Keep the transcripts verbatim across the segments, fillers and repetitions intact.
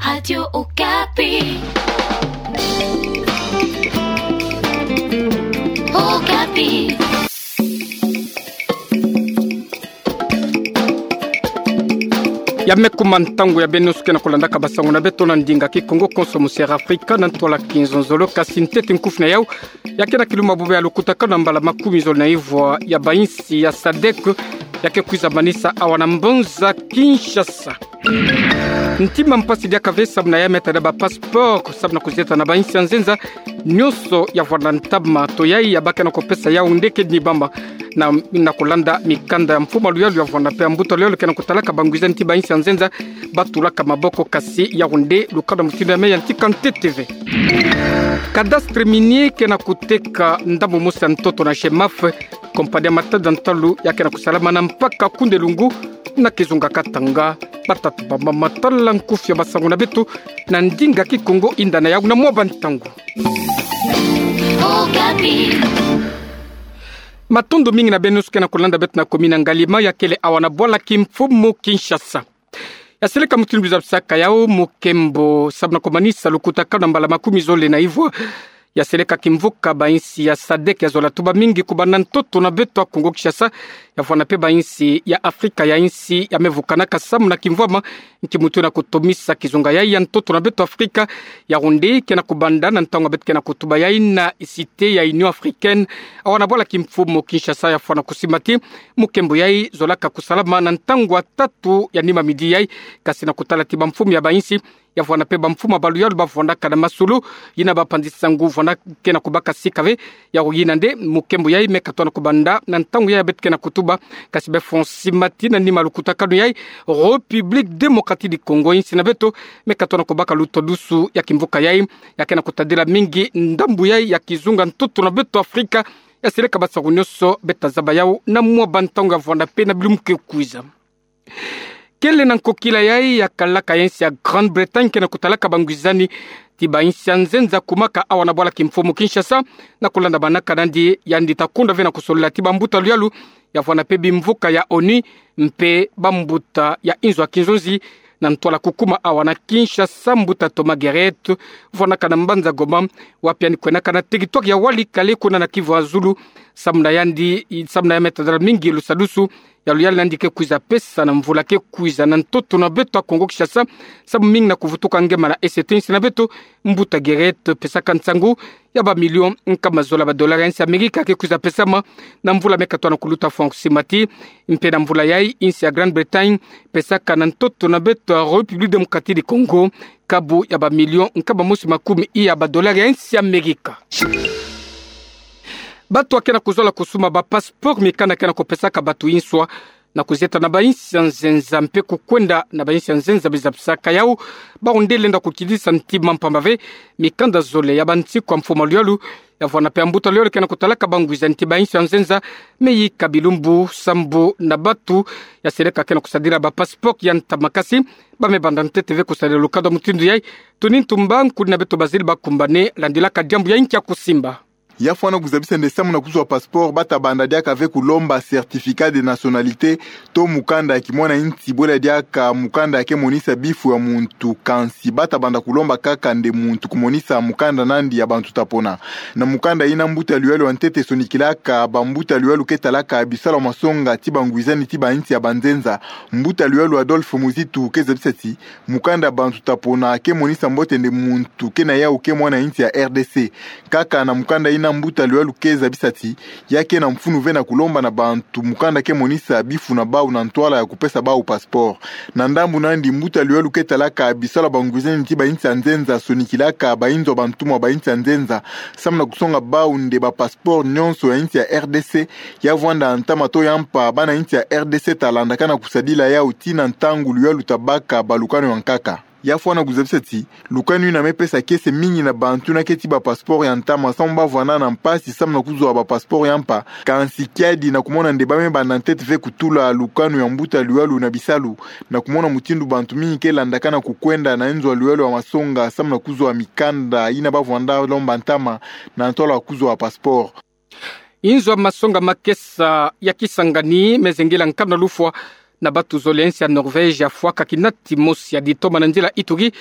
Radio Okapi. Okapi. Ya me kuma ntangu ya beno suke na kulandaka basango na beto na ndinga Kikongo konso mu Sierra Afrika, na ntwala Kinzonzolo, kasi ntete nkufi na yau ya ke na kiluma bobê ya lukutakano ya mbala makumi zole na ivwa ya bainsi ya sadek, ya ke kwiza manisa awa na mbanza Kinshasa. Ntima mpasi diaka ve samu na ya me tadila ba passeport, samu na kuzieta na bainsi ya nzenza nyonso ya vwanda ntama. Toyai ya bake na kupesa yau nde kedi ni bamba na, na kulanda mikanda ya mfumu a luyalu ya vwanda mpe ya mbuta luyalu ke na kutalaka bangwizani ti bainsi ya nzenza ba tulaka maboko, kasi yau nde lukanda mutindu ya me yantika ntete ve. Cadastre minier ke na kuteka ndambu mosi ya ntoto na GEMAF, kompani ya matadi ya ntalu ya ke na kusalama na mpaka Kunde Lungu na kizunga Katanga. Ba tata, ba mama, tala nkufi ya basango na beto na ndinga Kikongo, yinda na yau na mwa bantangu. Okapi. Matondo mingi na beno suke na kulanda beto na komini ya Ngaliema, ya kele awa na bwala kimfumu Kinshasa. Ya seleka mutindu bizabisaka yau mukembo samu na kumanisa lukutakano ya mbala makumi zole na ivwa ya seleka kimvuka bainsi ya sadek ya zola tuba mingi kubanda ntoto na beto ya Kongo Kinshasa, ya vwanda mpe bainsi ya Afrika ya insi ya me vukanaka samu na kimvwama nki mutu na kutomisa kizunga yai ya ntoto na beto Afrika. Yau nde ke na kubanda na ntangu ya beto ke na kutuba yai na cité ya Union Africaine, awa na bwala kimfumu Kinshasa, ya fwana kusimbati mukembo yai zolaka kusalama na ntangu ya tatu ya nima midi yai, kasi na kutala ti bamfumu ya bainsi, ya vwanda mpe bamfumu ya baluyalu ba vwandaka na masolo, yina ba panzi-nsangu vwanda ke na kubaka sika ve. Yau yina nde mukembo yai me katona kubanda na ntangu yai ya beto ke na kutuba, kasi be fwa simbati na nima lukutakano yai, République Démocratique du Congo, insi na beto, me katona kubaka lutodusu ya kimvuka yai, ya ke na kutadila mingi ndambu yai ya kizunga ntoto na beto Afrika. Ya seleka basango nyonso beta zaba yau na mwa bantangu ya vwanda mpe na bilumbu ke kwiza. Kele na nkokila yai ya kalaka ya insi ya Grande-Bretagne ke na kutalaka bangwizani ti bainsi ya nzenza kumaka awa na bwala kimfumu Kinshasa, na kulandamanaka nandi yandi ta kunda ve na kusolila ti bambuta luyalu ya vwanda mpe bimvuka ya ONU, mpe bambuta ya inzo ya kinzonzi, na ntwala kukuma awa na Kinshasa, mbuta Thomas Guéret, vwandaka na mbanza Goma, wapi yandi kwenaka na territoire ya Walikale, kuna na Kivu ya zulu, samu na yandi, samu na ya me tadila mingi lusadusu ya luyala nandi ke kwiza pesa na mvula ke kwiza na ntoto na beto ya Kongo Kinshasa, samu mingi na kuvutuka ngemana, ese te insi na beto, mbuta Guéret pesaka nsangu ya bamilio nkama zola badolari ya insi ya Amerika ke kwiza pesama na mvula me katona kuluta, fwa simbati. Mpe na mvula yai, insi ya Grande-Bretagne pesaka na ntoto na beto ya République Démocratique du Congo kabu ya bamilio nkama mosi makumi iya badolari ya insi ya Amerika. Bato ya ke na kuzola kusumba ba passeport, mikanda ke na kupesaka bato inswa na kuzieta na bainsi ya nzenza mpe kukwenda na bainsi ya nzenza bizabisaka yau, bau nde lenda kukidisa ntima mpamba ve mikanda zole ya bansiku ya mfumu a luyalu ya vwanda mpe ya mbuta luyalu ke na kutalaka bangwizani ti bainsi ya nzenza me yika bilumbu sambu na bato ya seleka ke na kusadila ba passeport ya ntama, kasi ba me banda ntete ve kusadila lukanda mutindu yai. Tony Ntumba, nkudi na beto Bazile Bakumbane, landilaka diambu yai nkia kusimba. Ya fwana kuzabisa nde samu na kuzwa passeport, bata banda diaka ve kulomba certificat de nationalité, to mukanda ya kimwana insi, bwela diaka mukanda ya ke monisa bifu ya muntu, kansi bata banda kulomba kaka nde muntu kumonisa mukanda nandi ya bantu ta pona. Na mukanda yina mbuta luyalu ya ntete sonikilaka bambuta luyalu ke talaka bisalu ya masonga ti bangwizani ti bainsi ya banzenza, mbuta luyalu Adolphe Muzitu, ke zabisa ti mukanda ya bantu ta pona ke monisa mbote nde muntu ke na yau ke mwana insi ya R D C. Kaka na mukanda yina mbuta luyalu ke zabisa ti ya ke na mfunu ve na kulomba na bantu mukanda ke monisa bifu na bau na ntwala ya kupesa bau passeport. Na ndambu nandi, mbuta luyalu ke talaka bisalu ya bangwizani ti bainsi ya nzenza sonikilaka bainzo ya bantumwa bainsi ya nzenza samu na kusonga bau nde ba passeport nyonso ya insi ya R D C, ya vwanda ntama to ya mpa, bana insi ya R D C ta landakana kusadila yau tii na ntangu luyalu ta baka balukanu ya nkaka. Ya fwana kuzabisa ti lukanu yina me pesa kiese mingi na bantu yina ke tii ba passeport ya ntama samu ba vwanda na mpasi samu na kuzwa ba passeport ya mpa, kansi kiadi na kumona nde ba me banda ntete ve kutula lukanu ya mbuta luyalu na bisalu, na kumona mutindu bantu mingi ke landakana kukwenda na inzo ya luyalu ya masonga samu na kuzwa mikanda yina ba vwanda lomba ntama na ntwala ya kuzwa passeport. Inzo ya masonga makesa ya Kisangani me zengela nkanu na lufwa na batu zole ya insi ya Norvège ya fwaka kinati mosi ya ditoma na nzila Ituri,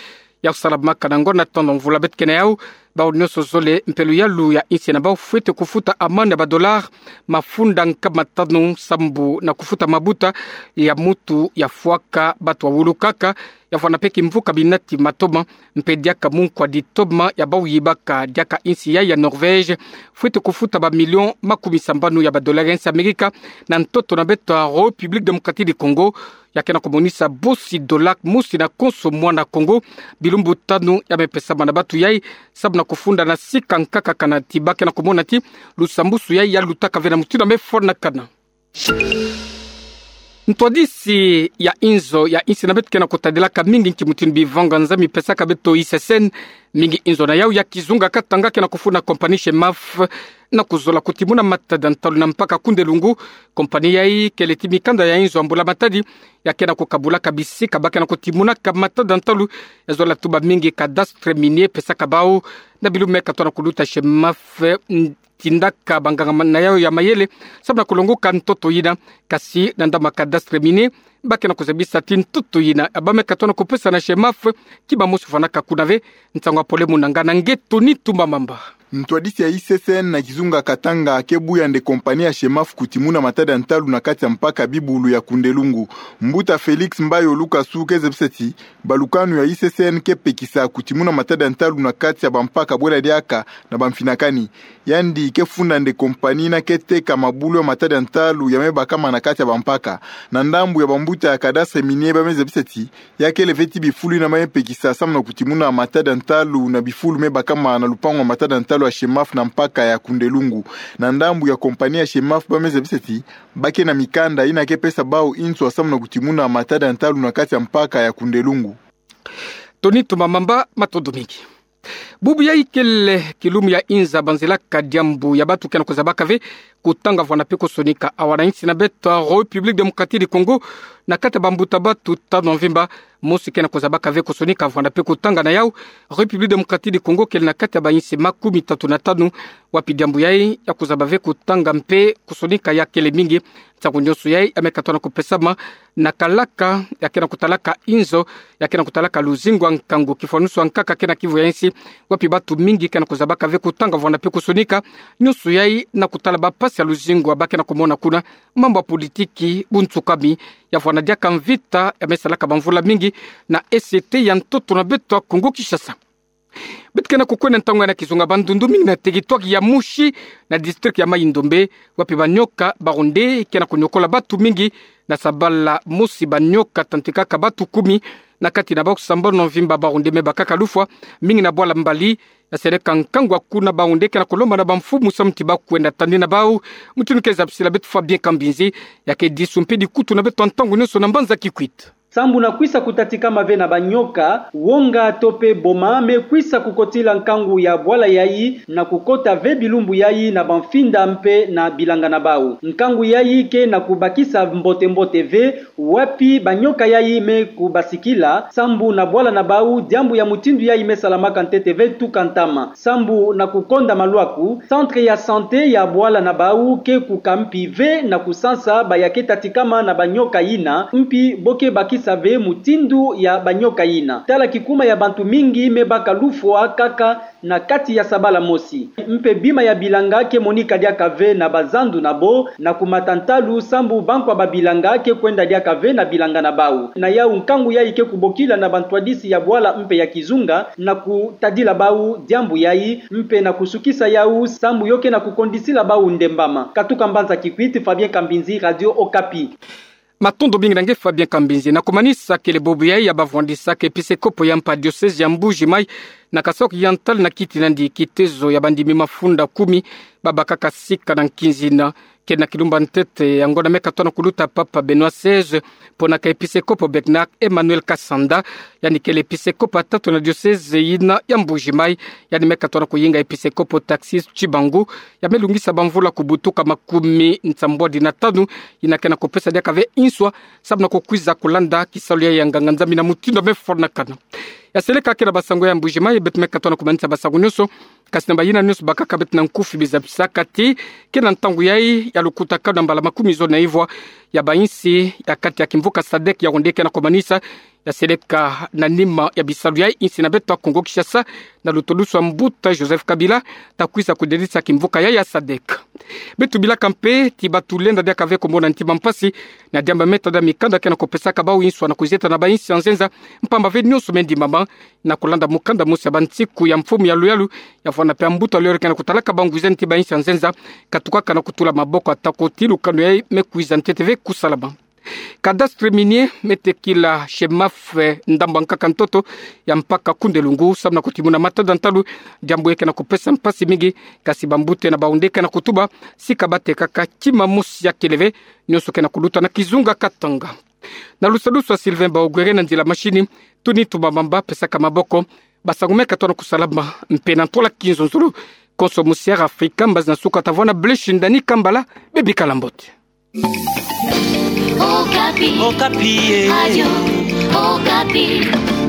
ya kusalamaka na ngonda tano mvula. Beto kena yau, bau nyonso zole mpe luyalu ya insi na bau fwete kufuta amande ya ba dollars mafunda nkama tanu sambu na kufuta mabuta ya mutu ya fwaka batu wawulukaka, ya fwana mpe kimvuka binati matoma, mpe diaka munkwa ditoma ya bau yibaka diaka insi ya, ya Norvège fwete kufuta ba millions makumi sambanu ya ba dollars ya insi Amerika na ntoto na beto ya République Démocratique du Congo, ya kena kumonisa bosi dollar mosi na konso mwana Congo, bilumbu tanu ya me pesama na batu yai, sambu na kufunda na sika nkaka kana ti ba kena kumona ti lusambusu yai ya lutaka ve na mutindu ya me fwanakana. Ntwadisi ya inzo ya insi na beto kena kutadilaka mingi nki mutindu bivanga nza mi pesaka beto I C C N, mingi inzo na yau ya kizunga katanga kena kufuna compagnie Shemaf na kuzola kutimuna matada ntalu na mpaka Kunde-Lungu. Compagnie yai kele ti mikanda ya inzo ya mbula-matadi ya kena kukabulaka bisika ba kena kutimunaka matada ntalu, ya zola tuba mingi cadastre minier pesaka bau na bilumbu me katona kuluta Shemaf, mm, tindaka ba nganga na yau ya mayele sambu na kulongoka ntoto yina. Kasi na ndambu ya cadastre minier, ba kena kuzabisa ti ntoto yina ya ba me katona kupesa na Shemaf, kima mosi fwanaka kuna ve. Nsangu ya pole muna ngana nge Tony Tumba Mamba. Ntwadisi ya I C C N na kizunga Katanga ke buya nde compagnie ya Shemaf kutimuna matada ntalu na kati ya mpaka bibulu ya Kunde-Lungu. Mbuta Félix Mbayo Lukasu ke zabisa ti balukanu ya I C C N ke pekisa kutimuna matada ntalu na kati ya bampaka bwela diaka na bamfinakani. Yandi ke funda nde compagnie na ke teka mabulu ya matada ntalu ya me bakama na kati ya bampaka. Na ndambu ya bambuta ya cadastre minier ba me zabisa ti ya kele ve ti bifulu yina ba me pekisa sambu na kutimuna matada ntalu na bifulu me bakama na lupangu ya matada ntalu ya Shemaf na mpaka ya Kunde-Lungu. Na ndambu ya compagnie ya Shemaf ba me zabisa ti ba ke na mikanda yina ke pesa bau inswa sambu na kutimuna matada ntalu na kati ya mpaka ya Kunde-Lungu. Tony Tumba Mamba, matondo mingi. Bubu yai kele kilumu ya inza banzilaka diambu ya batu kena kuzabaka ve kutanga vwanda mpe kusonika. Awa na insi na beto ya République Démocratique du Congo, na kati ya bambuta batu tanu ya mvimba, mosi kena kuzabaka ve kusonika vwanda mpe kutanga. Na yau, République Démocratique du Congo kele na kati ya bainsi makumi tatu na tanu wapi diambu yai ya kuzaba ve kutanga mpe kusonika ya kele mingi. Nsangu nyonso yai ya me katona kupesama na kalaka ya kena kutalaka inzo, ya kena kutalaka luzingu ya nkangu, kifwanusu ya nkaka kena kivu ya insi, wapi batu mingi kena kuzabaka ve kutanga vwanda mpe kusonika. Nyonso yai na kutala bampasi ya luzingu ya ba kena kumona kuna, mambu ya politiki, buntsukami, ya vwanda diaka mvita ya me salaka bamvula mingi na E C T ya ntoto na beto ya Congo Kinshasa. Beto kena kukwenda ntangu yai na kizunga Bandundu, mingi na territoire ya Moshi, na district ya Mai-Ndombe, wapi banyoka ba Rwandais kena kunyokola batu mingi. Na sabala mosi banyoka tantikaka batu kumi, na kati na bau sambanu na mvimba ba Rwandais me bakaka lufwa, mingi na bwala Mbali. Ya seleka nkangu ya kuna ba Rwandais kena kulomba na bamfumu samu ti ba kwenda tandi na bau. Mutindu ke zabisila beto Fabien Kambinzi, ya ke disu mpe dikutu na beto ya ntangu nyonso na mbanza Kikwit. Sambu na kwisa kutatikama ve na banyoka, wonga to mpe boma me kwisa kukotila nkangu ya bwala yai na kukota ve bilumbu yai na bamfinda mpe na bilanga na bau. Nkangu yai ke na kubakisa mbote-mbote ve, wapi banyoka yai me kubasikila, sambu na bwala na bau diambu ya mutindu yai me salamaka ntete ve tuka ntama. Sambu na kukonda malwaku, centre ya santé ya bwala na bau ke kukampi ve na kusansa ba ya ke tatikama na banyoka yina, mpi bo ke bakisa ve mutindu ya banyoka yina. Tala kikuma ya bantu mingi me baka lufwa kaka na kati ya sabala mosi. Mpe bima ya bilanga ke monika diaka ve na bazandu na bo, na kumata ntalu sambu bankwa ba bilanga ke kwenda diaka ve na bilanga na bau. Na yau nkangu yai ke kubokila na bantwadisi ya bwala mpe ya kizunga, na kutadila bau diambu yai, mpe na kusukisa yau sambu yo ke na kukondisila bau ndembama. Katuka mbanza Kikwit, Fabien Kambinzi, Radio Okapi. Matondo mingi na nge Fabien Kambinzi. Na kumanisa, kele bubu yai ya bavwandisaka episekopo ya mpa diocèse ya Mbuji Mayi na Kasaï Oriental na kiti nandi kitezo ya bandimi mafunda kumi babakaka sika na nkinzi yina. Kele na kilumbu ya ntete ya ngonda me katona kuluta Papa Benoît seize, ponaka episekopo Bernard Emmanuel Kasanda, yandi kele episekopo ya tatu na diocèse yina ya Mbuji Mayi, yandi me katona kuyinga episekopo Taxis Tshibangu, ya me lungisa bamvula kubutuka makumi nsambwadi na tanu, yina ke na kupesa diaka ve inswa, samu na kukwiza kulanda kisalu ya nganga-Nzambi na mutindu ya me fwanakana. Ya seleka kele basango ya Mbuji Mayi, beto me katona kumanisa basango nyonso Kasi na bayinane nyonso bakaka beto na nkufi biza bisakati, ke na ntangu yayi ya lukutakanu na mbala makumi zole na ivwa ya bayinsi ya kati ya kimvuka sadek ya onde ke na komanisa ya seleka na nima ya bisalu yayi insi na beto ya Kongo Kinshasa, na lutodusu a mbuta Joseph Kabila, ta kwiza kudedisa kimvuka yayi ya sadek. Beto bilaka mpe ti batulenda diaka ve komona ntima mpasi na diambu ya metada mikanda ke na kopesaka bau inswa na kuzieta na bayinsi ya nzenza, mpamba ve nyonso me ndimama na kulanda mukanda mosi ya bansiku ya mfumu ya luyalu ya vwanda mpe a mbuta luyalu ke na kutalaka bau ngwiza nti bayinsi ya nzenza, katukaka na kutula maboko atako ti lukanu yayi me kwiza ntete ve kusalama. Cadastre minier me tekila CEMAF, eh, ndambu nkaka ntoto ya mpaka Koundé-Loungou, samu na kutimuna matada ntalu, diambu yayi ke na kupesa mpasi mingi, kasi bambuta na baonde ke na kutuba, si ka batekaka kima mosi ya kele ve, nyonso ke na kuluta na kizunga Katanga. Na lusadusu a Sylvain Baogwere na nzila mashini, Tony Tumamamba pesaka maboko, basangu me katona kusalama, mpe na ntwala kinzonzolo, konso musi Air Africa, mbazi na suka ta vwanda Blaise Shindani Kambala, bebikala mbote. Okapi. Okapi, eh. Radio Okapi.